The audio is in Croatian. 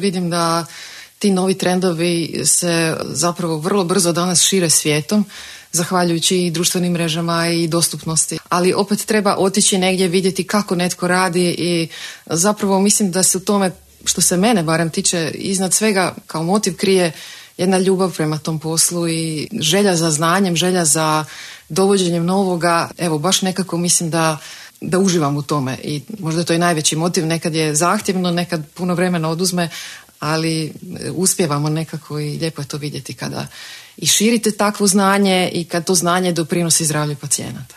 Vidim da ti novi trendovi se zapravo vrlo brzo danas šire svijetom, zahvaljujući i društvenim mrežama i dostupnosti. Ali opet treba otići negdje, vidjeti kako netko radi i zapravo mislim da se u tome, što se mene barem tiče, iznad svega kao motiv krije jedna ljubav prema tom poslu i želja za znanjem, želja za dovođenjem novoga. Evo, baš nekako mislim da uživam u tome i možda to je najveći motiv. Nekad je zahtjevno, nekad puno vremena oduzme, ali uspijevamo nekako i lijepo je to vidjeti kada i širite takvo znanje i kad to znanje doprinosi zdravlju pacijenata.